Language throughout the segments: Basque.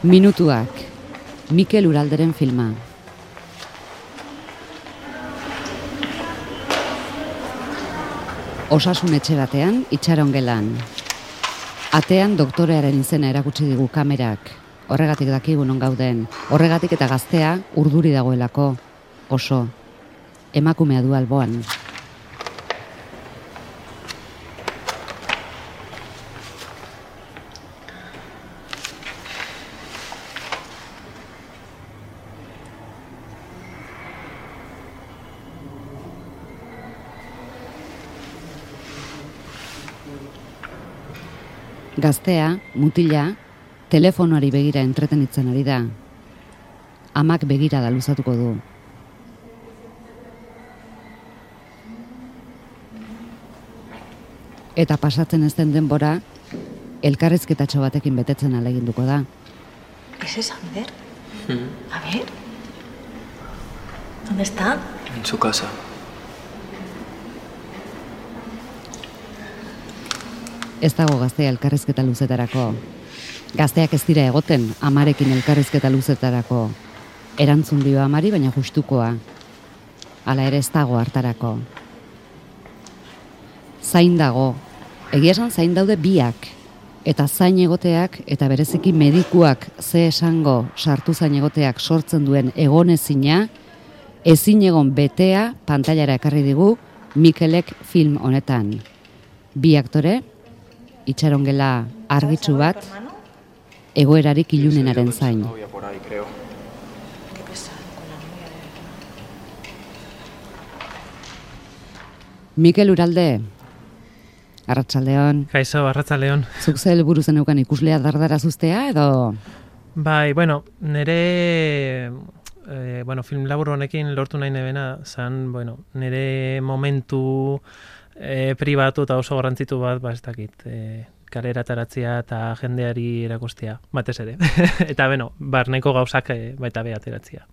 Minutuak, Mikel Uralderen filma. Osasun etxe batean, itxaron gelan. Atean doktorearen izena erakutsi digu kamerak. Horregatik dakigu non gauden. Horregatik eta gaztea urduri dagoelako. Oso. Emakumea du alboan. Gaztea, mutila, telefonoari begira entretenitzen ari da. Amak begira da luzatuko du. Eta pasatzen ez den denbora, elkarrizketatxo batekin betetzen ahaleginduko da. ¿Es esa, Ander? A ver. ¿Dónde está? En su casa. Ez dago gaztea elkarrizketa luzetarako. Gazteak ez dira egoten amarekin elkarrizketa luzetarako. Erantzun dio amari, baina justukoa. Hala ere ez dago hartarako. Zain dago. Egia esan zain daude biak. Eta zain egoteak eta bereziki medikuak ze esango sartu zain egoteak sortzen duen egonezina, ezin egon betea pantailara ekarri digu Mikelek film honetan. Bi aktore, itxaron gela argitsu bat, egoerarik ilunenaren zain. Mikel Uralde, arratsaldeon. Kaixo, arratsaldeon. Zuk ze helburu zeneukan ikuslea dardarazuztea edo? Bai, nere film labur honekin lortu nahi nebena zan, nere momentu pribatu eta oso garrantzitu bat, ez dakit, kalera ataratzea eta jendeari erakustea, batez ere. Eta, barneko gauzak baita be ateratzea.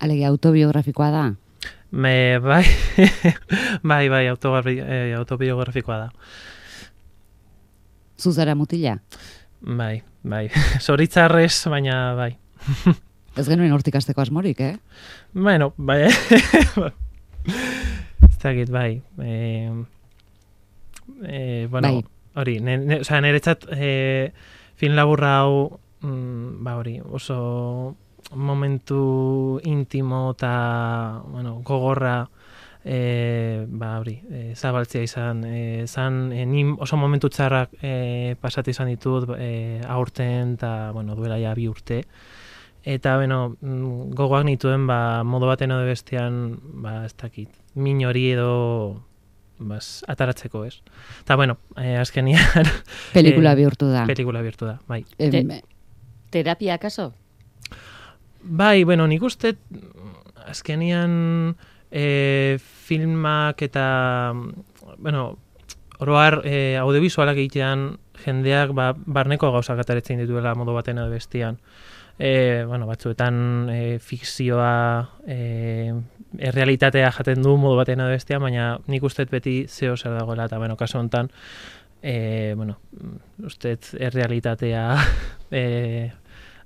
Alegia, autobiografikoa da? Bai, autobiografikoa da. Zuzara mutila? Bai. Zoritzarrez, baina bai. Ez genuen hortik asteko asmorik, Bai. Ez dakit, bai. Hori, niretzat film laburra hau, oso momentu intimo eta gogorra zabaltzea izan. Ni oso momentu txarrak pasatu izan ditut aurten eta duela ja 2 urte. Eta gogoak nituen modu baten edo bestean ez dakit, min hori edo ataratzeko, ez. Eta azkenian pelikula bihurtu da. Pelikula bihurtu da, bai. ¿Terapia acaso? Bai, nik uste azkenian filmak eta oroar audiovisualak egitean jendeak barneko gauzak ataratzen dituela modu baten edo bestean. Batzuetan fikzioa errealitatea jaten du modu baten edo bestean, baina nik uste beti zeo zer dagoela, eta kasu honetan uste errealitatea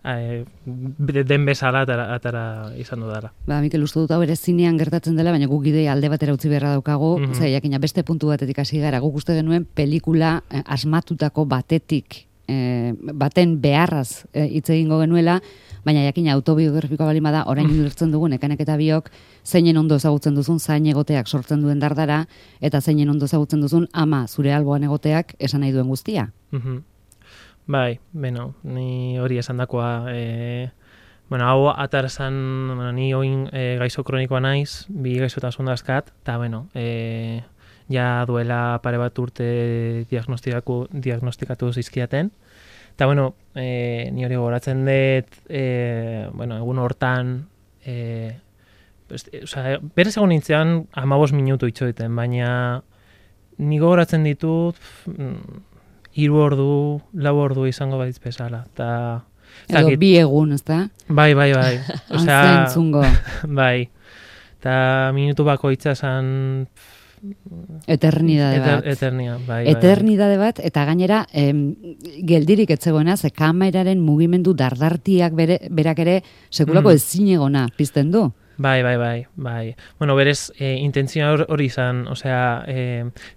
den bezala atara izan dudala. Mikel, uste dut hau ere zinean gertatzen dela, baina guk ideia alde batera utzi beharra daukagu, jakina beste puntu batetik hasi gara, guk uste genuen pelikula asmatutako baten beharraz hitz egingo genuela, baina jakina autobiografikoa balin bada, orain ulertzen dugun ekanek eta biok, zeinen ondo ezagutzen duzun zain egoteak sortzen duen dardara, eta zeinen ondo ezagutzen duzun ama zure alboan egoteak esan nahi duen guztia. Bai, ni hori esan dakoa, hau atarzan, ni oin gaizo kronikoa naiz, 2 gaizotasun dazkat, eta ja duela pare bat urte diagnostikatu zizkiaten. Eta, ni hori gogoratzen dut, egun hortan, berez egon nintzean 15 minutu itxoiten, baina ni gogoratzen ditut 3 ordu, 4 ordu izango baditz bezala. Edo 2 egun, ez da? Bai. Antzentzungo. Bai. Eta minutu bakoitza zan Eternidade bat. Eternidade bat, eta gainera, geldirik etzegoena, ze kameraren mugimendu dardartiak berak ere, sekulako ezinegona pizten du. Bai. Bueno, berez, intentzioa hori izan, osea,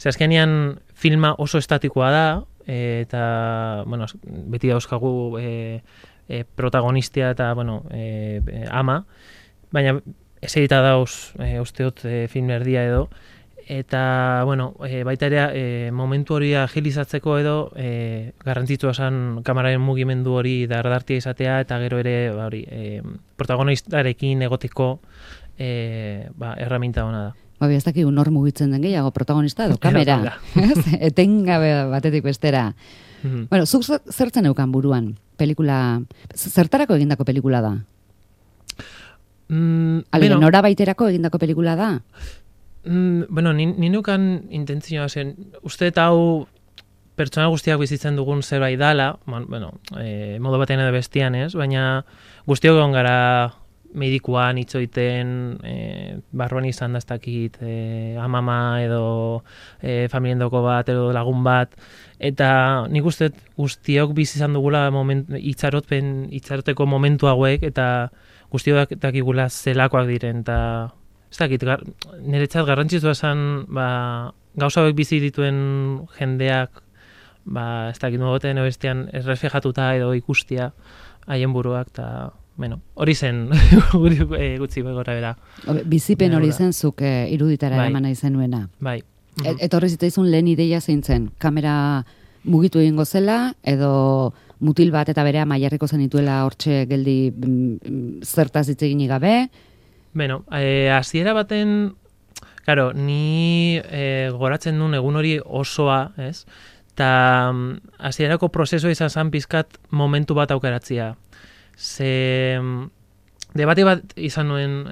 azkenean filma oso estatikoa da, eta, bueno, beti dauzkagu protagonistia eta, bueno, ama, baina eserita dauz, usteot, film erdia edo, eta, bueno, baita ere, momentu hori agilizatzeko edo, garrantzitsua esan kameraren mugimendu hori dardartia izatea, eta gero ere, hori, protagonistarekin egoteko, erraminta hona da. Baina ez dakik nor mugitzen den gehiago, protagonista edo kamera. Etengabe batetik bestera. Bueno, zuk zertzen eukan buruan? Pelikula, zertarako egindako pelikula da? Alde, nora baiterako egindako pelikula da? Bueno, ninukan intentzioa zen, uste eta hau pertsona guztiak bizitzen dugun zerbait dala, bueno, modu batean edo bestian ez, baina guztiok egon gara medikuan itzoiten, barruan izan daztakit, amama edo familiendoko bat edo lagun bat, eta nik uste guztiok bizi izan dugula itxaroteko momentu hauek, eta guztiok dakigula zelakoak diren, eta ez dakit, niretzat garrantzitsua esan, gauza hauek bizi dituen jendeak, ez dakit nugoten bestean erreflejatuta edo ikustia haien buruak, eta bueno, hori zen gutxi gora bera. Bizipen hori zen zuk iruditara eraman nahi zenuena. Bai. Etorri zitzaizun lehen ideia zein zen, kamera mugitu egingo zela, edo mutil bat eta berea mailarriko zenituela hortxe geldi zertaz hitz eginik gabe? Bueno, hasiera baten, claro, ni goratzen duen egun hori osoa, ez? Eta hasierako prozesua izan zen pizkat momentu bat aukeratzea. Ze debate bat izan nuen,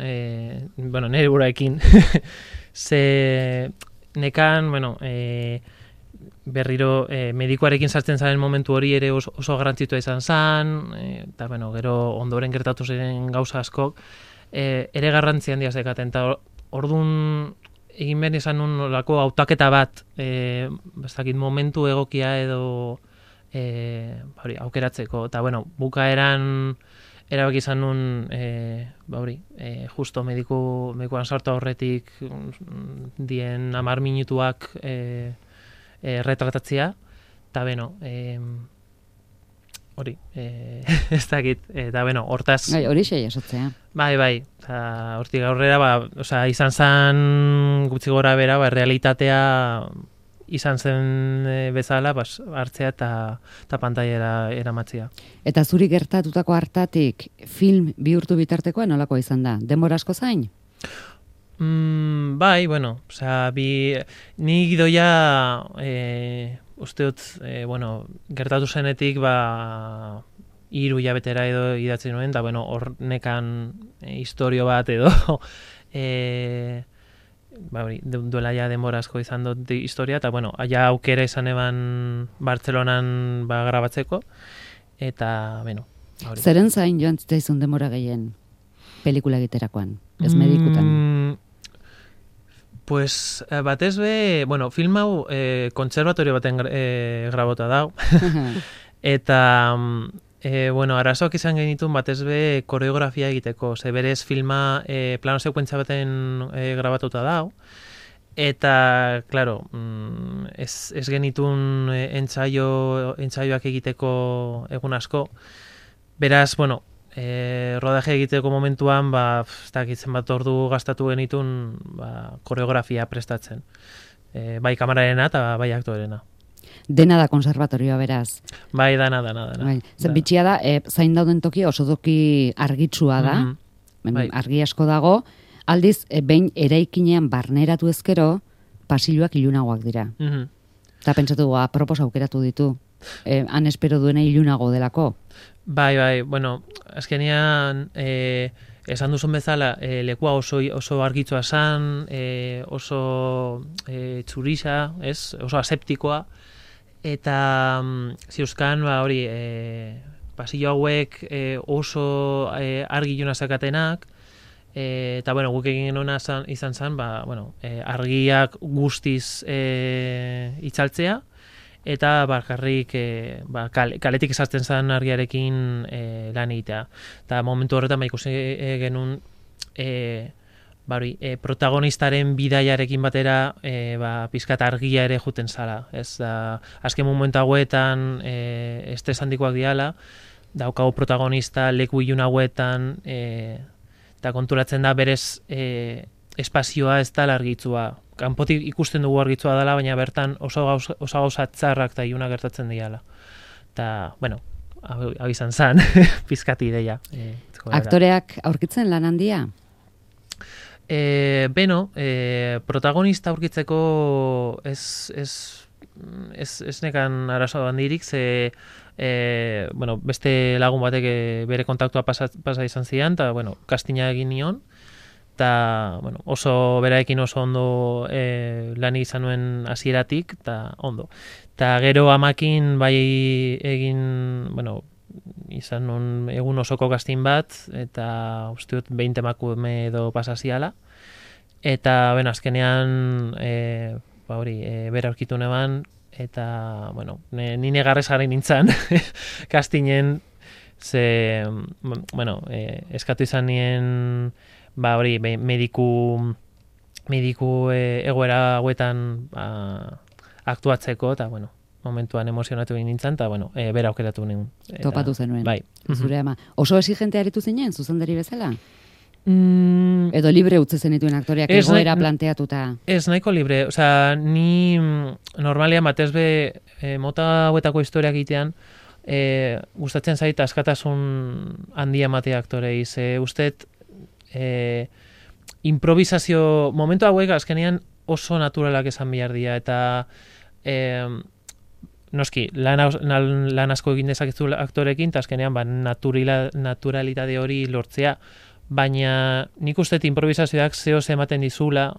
bueno, nire buraekin, ze nekan, bueno, berriro medikuarekin sartzen zaren momentu hori ere oso garrantzitua izan zen, eta, bueno, gero ondoren gertatu ziren gauza askok, ere garrantzi handia zekaten, eta orduan egin behar izan nuen olako hautaketa bat, ez dakit momentu egokia edo aukeratzeko, eta, bueno, bukaeran erabaki izan nuen, justo medikuan sartu aurretik dien 10 minutuak retratatzea, eta, bueno, hori, ez dakit, eta, bueno, hortaz... Hori xei esotzea. Bai, eta hortik aurrera, izan zen gutxi gora bera, realitatea izan zen bezala, hartzea eta pantailara eramatzea. Eta zuri gertatutako hartatik film bihurtu bitartekoa nolakoa izan da? Denbora asko zain? Bai, bueno, ni gidoia usteot, gertatu zenetik 3 hilabetera edo idatzen nuen, eta, bueno, hor nekan historio bat edo duela ja denbora asko izan dut historia, eta, bueno, ja aukera izan eban Bartzelonan grabatzeko, eta, bueno. Zeren zain joan zitzaizun denbora gehien pelikula egiterakoan, ez medikutan? Pues, batez be, bueno, film hau kontserbatorio baten grabota dau, eta, bueno, arazoak izan genitun batez be koreografia egiteko, ze berez filma plano sekuentzia baten grabatuta dau, eta, claro, ez genitun entsaioak egiteko egun asko, beraz, bueno, rodaje egiteko momentuan, ez dakitzen bat ordu gastatu genitun koreografia prestatzen, bai kamerarena eta bai aktorena. Dena da konservatorioa beraz. Bai, dana. Zer bitxia da, zain dauden toki oso toki argitsua da, argi asko dago, aldiz, behin eraikinean barneratu ezkero, pasilloak ilunagoak dira. Eta pentsatu, apropos aukeratu ditu, han espero duena ilunago delako. Bai, bueno, azkenean, esan duzun bezala, lekua oso argitsua esan, oso txurisa, oso aseptikoa, eta ziuzkan, hori, pasillo hauek oso argi iluna zakatenak, Eta, bueno, guk egin genuen izan zen, argiak guztiz itzaltzea, eta bakarrik kaletik esartzen zen argiarekin lan egitea. Eta momentu horretan ikusi genuen protagonistaren bidaiarekin batera pizkat argia ere juten zala. Azken momentu hauetan estres handikoak diala, daukagu protagonista leku ilun hauetan, eta konturatzen da berez espazioa ez da argitzua. Kanpotik ikusten dugu argitzua dela, baina bertan oso gauza txarrak eta ilunak gertatzen diala. Eta, bueno, hau izan zen, pizkati ideia. Aktoreak aurkitzen lan handia? Protagonista aurkitzeko ez nekan arazo handirik, beste lagun batek bere kontaktua pasa izan zidan, eta, castinga egin nion, eta, oso beraekin oso ondo lan izan nuen hasieratik, eta ondo. Eta gero amakin bai egin, izan nuen egun osoko casting bat, eta uste dut 20 emakume edo pasaziala, eta, azkenean, bera aurkitu neban, eta, ni negarrez jarri nintzen castingen, eskatu izan nien, mediku egoera hauetan aktuatzeko, eta, momentuan emozionatu egin nintzen, eta, bera aukeratu nuen. Topatu zenuen. Bai. Zure ama. Oso exigente aritu zinen, zuzendari bezala? Edo libre utzi zenituen aktoreak egoera planteatuta? Ez, nahiko libre. Osea, ni normalian batez be mota hauetako historiak egitean, gustatzen zait askatasun handia ematea aktorei. Usted improvisazio, momentu hauek azkenean oso naturalak esan behar dira, eta noski, lan asko egin dezakezu aktorekin, eta azkenean naturalitate hori lortzea, baina nik uste improvisazioak zehoz ematen dizula,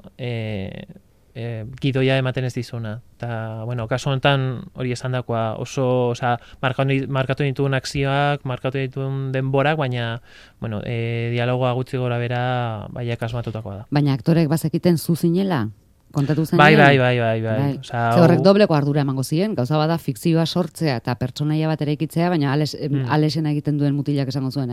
gidoia ematen ez dizuna. Eta, kasu honetan hori esan dakoa, oso, markatu dituen akzioak, markatu dituen denborak, baina, dialogoa gutxi gora bera, baiak asmatutakoa da. Baina aktorek bazekiten zuzinela? Kontatu zen? Bai. Horrek dobleko ardura emango ziren, gauza bada fikzioa sortzea eta pertsonaia bat ere ikitzea, baina alesena egiten duen mutilak esango zuen,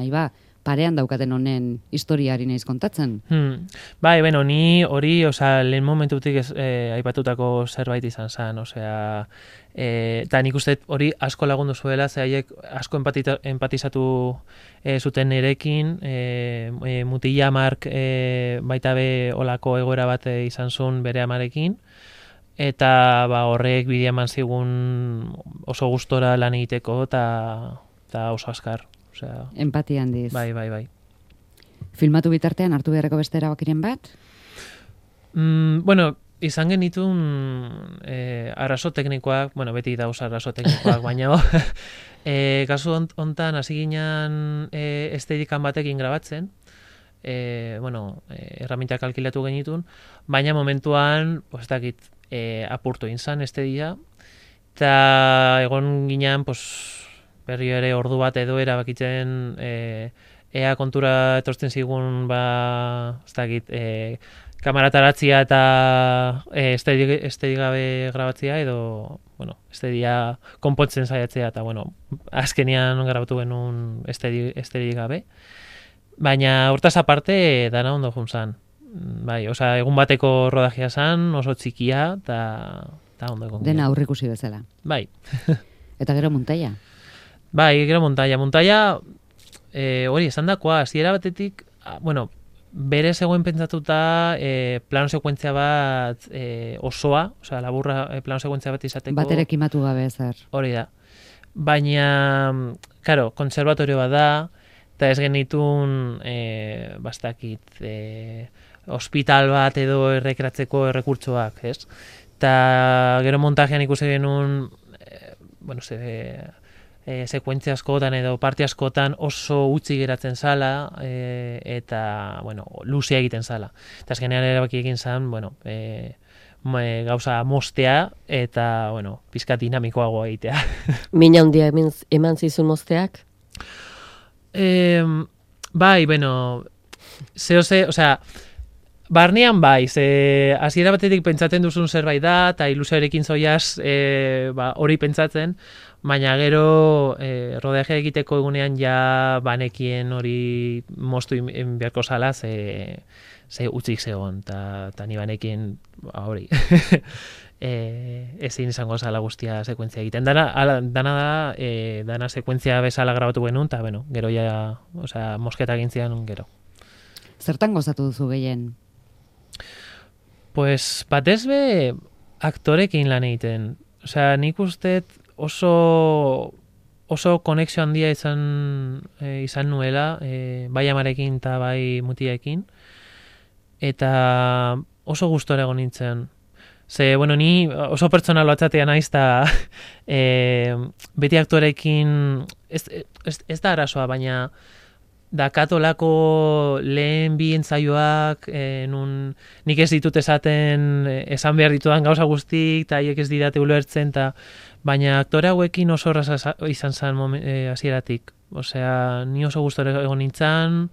parean daukaten honen historiari naiz kontatzen. Ni hori, lehen momentutik aipatutako zerbait izan zen, eta nik uste hori asko lagundu zuela, ze haiek asko empatizatu zuten nerekin, mutila Mark baita be olako egoera bat izan zuen bere amarekin, eta horrek bidea eman zigun oso gustora lan egiteko, eta oso askar. Empatia handiz. Bai. Filmatu bitartean hartu beharreko beste erabakiren bat? Izan genitun arazo teknikoak, beti dauz arazo teknikoak, baina kasu hontan hasi ginen estedikan batekin grabatzen, herramientak alkilatu genitun, baina momentuan, apurtu inzan estedia, eta egon ginen, berri ere ordu bat edo erabakitzen ea kontura etortzen zigun kamerataratzia eta estedi gabe grabatzea edo estedia konpontzen saiatzea eta azkenean grabatu genuen estedi gabe. Baina hortaz aparte dana ondo juntzan. Egun bateko rodajea zan, oso txikia eta ondo egon. Dena aurrikusi bezala. Bai. Eta gero montaia? Gero montaia. Montaia, hori, esan dakoa, hasiera batetik, bere zegoen pentsatuta plano sekuentzia bat osoa, laburra plano sekuentzia bat izateko. Baterek imatu gabe zer. Hori da. Baina, karo, konservatorio bat da, eta ez genitun, hospital bat edo errekratzeko errekurtsoak, ez? Eta gero montajean ikusi genuen, sekuentzia askotan edo parte askotan oso utzi geratzen zala eta, luzea egiten zala. Eta azkenean erabaki egin zen, gauza mostea eta, pizkat dinamikoagoa egitea. Mina handia eman zizun mosteak? osea, barnean bai, ze hasiera batetik pentsatzen duzun zerbait da, eta ilusioarekin zoiaz hori pentsatzen, baina gero rodaje egiteko egunean ja banekien hori moztu beharko zala, ze utzik zegoen, eta ni banekien hori ezin izango zala guztia sekuentzia egiten. Dana da, dana sekuentzia bezala grabatu genuen, eta bueno, gero ja, osea, mosketa gintzian gero. Zertan gozatu duzu gehien? Pues batez be aktorekin lan egiten. Osea, nik uste oso konexio handia izan nuela, bai amarekin eta bai mutiekin, eta oso gustora egon nintzen. Ze, bueno, ni oso pertsonalo atzatea naiz, eta beti aktorekin, ez da arazoa, baina dakatolako lehen bi entzaioak, nik ez ditut esan behar ditudan gauza guztik, eta haiek ez didate ulertzen, baina aktore hauekin oso erraza izan zen hasieratik. Osea, ni oso gustora egon nintzen,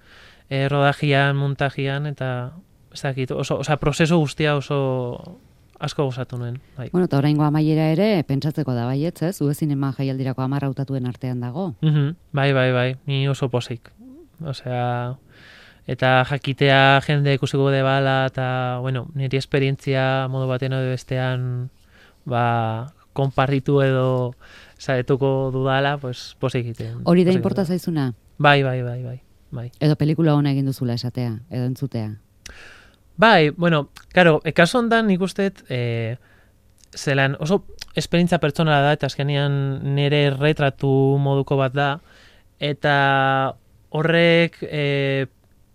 rodajian, montajian, eta ez dakit, osea, prozesu guztia oso asko gozatu nuen. Bai. Bueno, eta oraingo amaiera ere, pentsatzeko da baietz, ez? Ue zinema jaialdirako 10 hautatuen artean dago. Bai, ni oso pozik. Osea, eta jakitea jende ikusiko de bala, eta, bueno, niri esperientzia modu baten edo bestean, konparritu edo saretuko dudala, pues, pozik egiten. Hori da inporta zaizuna? Bai. Edo pelikula hona egin duzula esatea, edo entzutea? Bai, bueno, karo, kasu hontan nik usteet, zelan oso esperientzia pertsonala da, eta azkenean nire retratu moduko bat da, eta horrek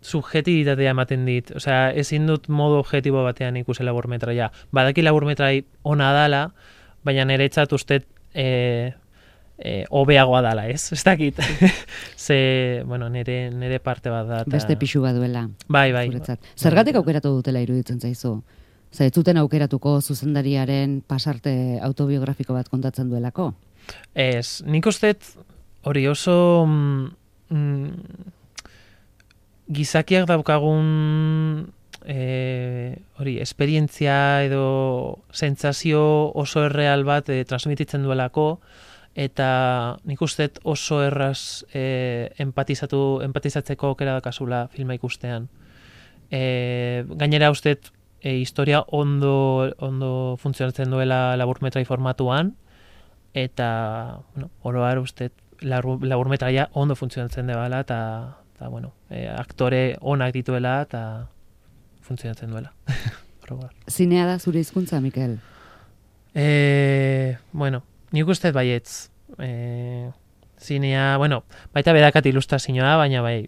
subjetibitatea ematen dit. Osea, ezin dut modu objektibo batean ikusi laburmetraia. Badaki laburmetrai ona dala, baina niretzat uste hobeagoa dala, ez? Ez dakit. Ze, bueno, nire parte bat da. Beste pixu bat duela. Bai. Zergatik aukeratu dutela iruditzen zaizu? Zer, ez zuten aukeratuko zuzendariaren pasarte autobiografiko bat kontatzen duelako? Ez, nik usteet hori oso gizakiak daukagun hori esperientzia edo sentsazio oso erreal bat transmititzen duelako, eta nik usteet oso erraz empatizatzeko aukera dakazula filma ikustean. Gainera usteet historia ondo funtzionatzen duela laburmetrai formatuan, eta oro har usteet laburmetraia ondo funtzionatzen dela, eta bueno, aktore onak dituela, eta funtzionatzen duela. Zinea da zure hizkuntza, Mikel? Bueno, nik uste baietz. Zinea, bueno, baita bedakat ilustrazioa, baina bai,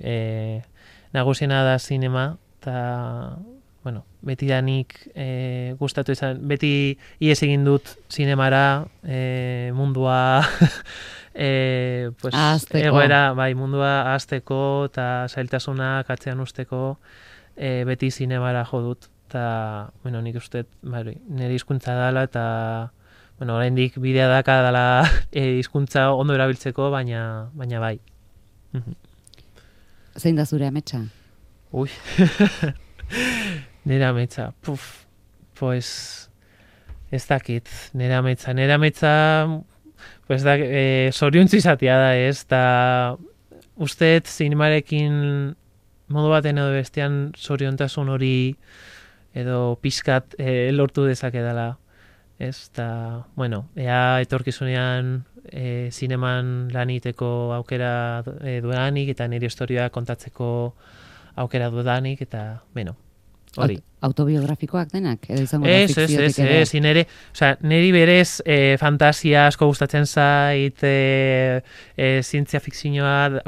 nagusiena da zinema, eta, bueno, beti da nik gustatu izan, beti ies egin dut zinemara, mundua pues, egoera, bai, mundua ahazteko eta zailtasunak atzean usteko, beti zinemara jo dut, eta, bueno, nik uste, bai, nire hizkuntza dela, eta, bueno, oraindik bidea daka dela hizkuntza ondo erabiltzeko, baina bai. Zein da zure ametsa? Ui, nire ametsa, pues, ez dakit, nire ametsa, pues da, zoriontzu izatea da, ez, eta usteet zinemarekin modu baten edo bestean zoriontasun hori edo pixkat lortu dezake dela. Ez, eta, bueno, ea etorkizunean zineman lan egiteko aukera dudanik, eta nire historia kontatzeko aukera dudanik, eta, bueno, hori. Autobiografikoak denak? Edo izango da fikziotik ere? Ez, niri berez fantasia asko gustatzen zait, zientzia fikzioa,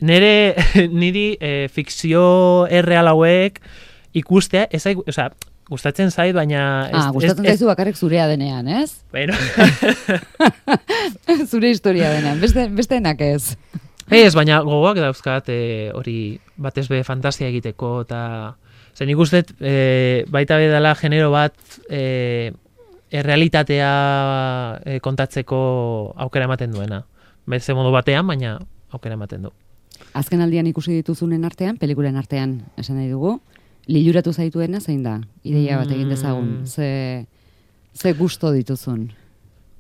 niri fikzio erreal hauek ikustea, gustatzen zait, baina... Gustatzen zaizu bakarrik zurea denean, ez? Bueno. Zure historia denean, besteenak ez. Ez, baina gogoak dauzkat hori batez be fantasia egiteko, eta zen ikustet baita bedala genero bat errealitatea kontatzeko aukera ematen duena. Beste modu batean, baina aukera ematen du. Azken aldian ikusi dituzunen artean, pelikulen artean, esan nahi dugu, liluratu zaituena zein da? Ideia bat egin dezagun, ze gusto dituzun?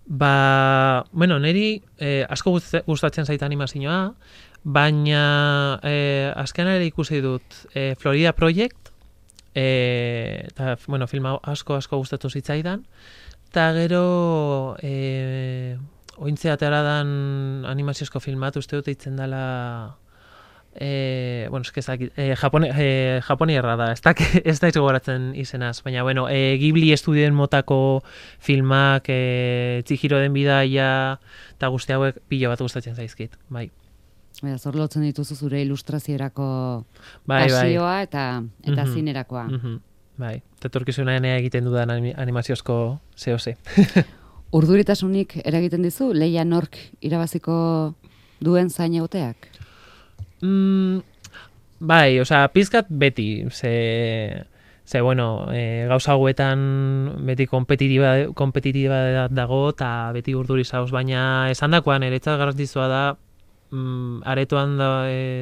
Bueno, niri asko gustatzen zait animazioa, baina azken ere ikusi dut Florida Project, eta, bueno, filma asko gustatu zitzaidan, eta gero ointze atera dan animaziozko filmat, uste dut eitzen dela bueno, japonierra da, ez da gogoratzen izenaz, baina, bueno, Ghibli estudioen motako filmak, Chihiro den bidaia, eta guzti hauek pilo bat gustatzen zaizkit, bai. Zor lotzen dituzu zure ilustraziorako pasioa eta zinerakoa. Bai, eta etorkizunean egiten dudan animaziozko zehose. Urduritasunik eragiten dizu, Leia nork irabaziko duen zain egoteak? Bai, pizkat beti, ze bueno, gauza hauetan beti kompetitiba dago, eta beti urduri zauz, baina esandakoan eretzat garrantzitsua da, aretoan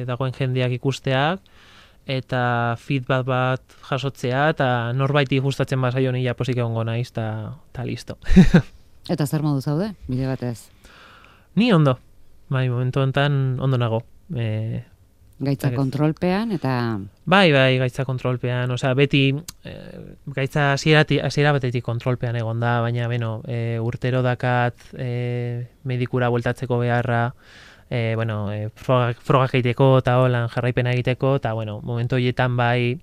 dagoen jendeak ikusteak, eta feedback bat jasotzea, eta norbaiti gustatzen bazaio nila posik egongo naiz, eta listo. Eta zer modu zaude, bide batez? Ni ondo, bai, momentu honetan ondo nago. Gaitza kontrolpean, eta... Bai, gaitza kontrolpean, beti gaitza hasiera batetik kontrolpean egon da, baina, beno, urtero dakat medikura bueltatzeko beharra, frogak egiteko eta holan jarraipena egiteko, eta, bueno, momentu horietan bai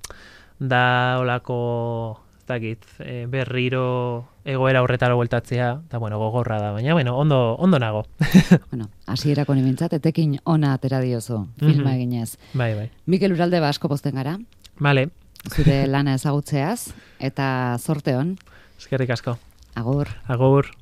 da olako, berriro egoera horretara bueltatzea, eta, bueno, gogorra da, baina, bueno, ondo nago. Bueno, hasierako nimentzat, etekin ona atera diozu, filma eginez. Bai. Mikel Uralde asko pozten gara. Vale. Zure lana ezagutzeaz, eta zorte on. Eskerrik asko. Agur. Agur.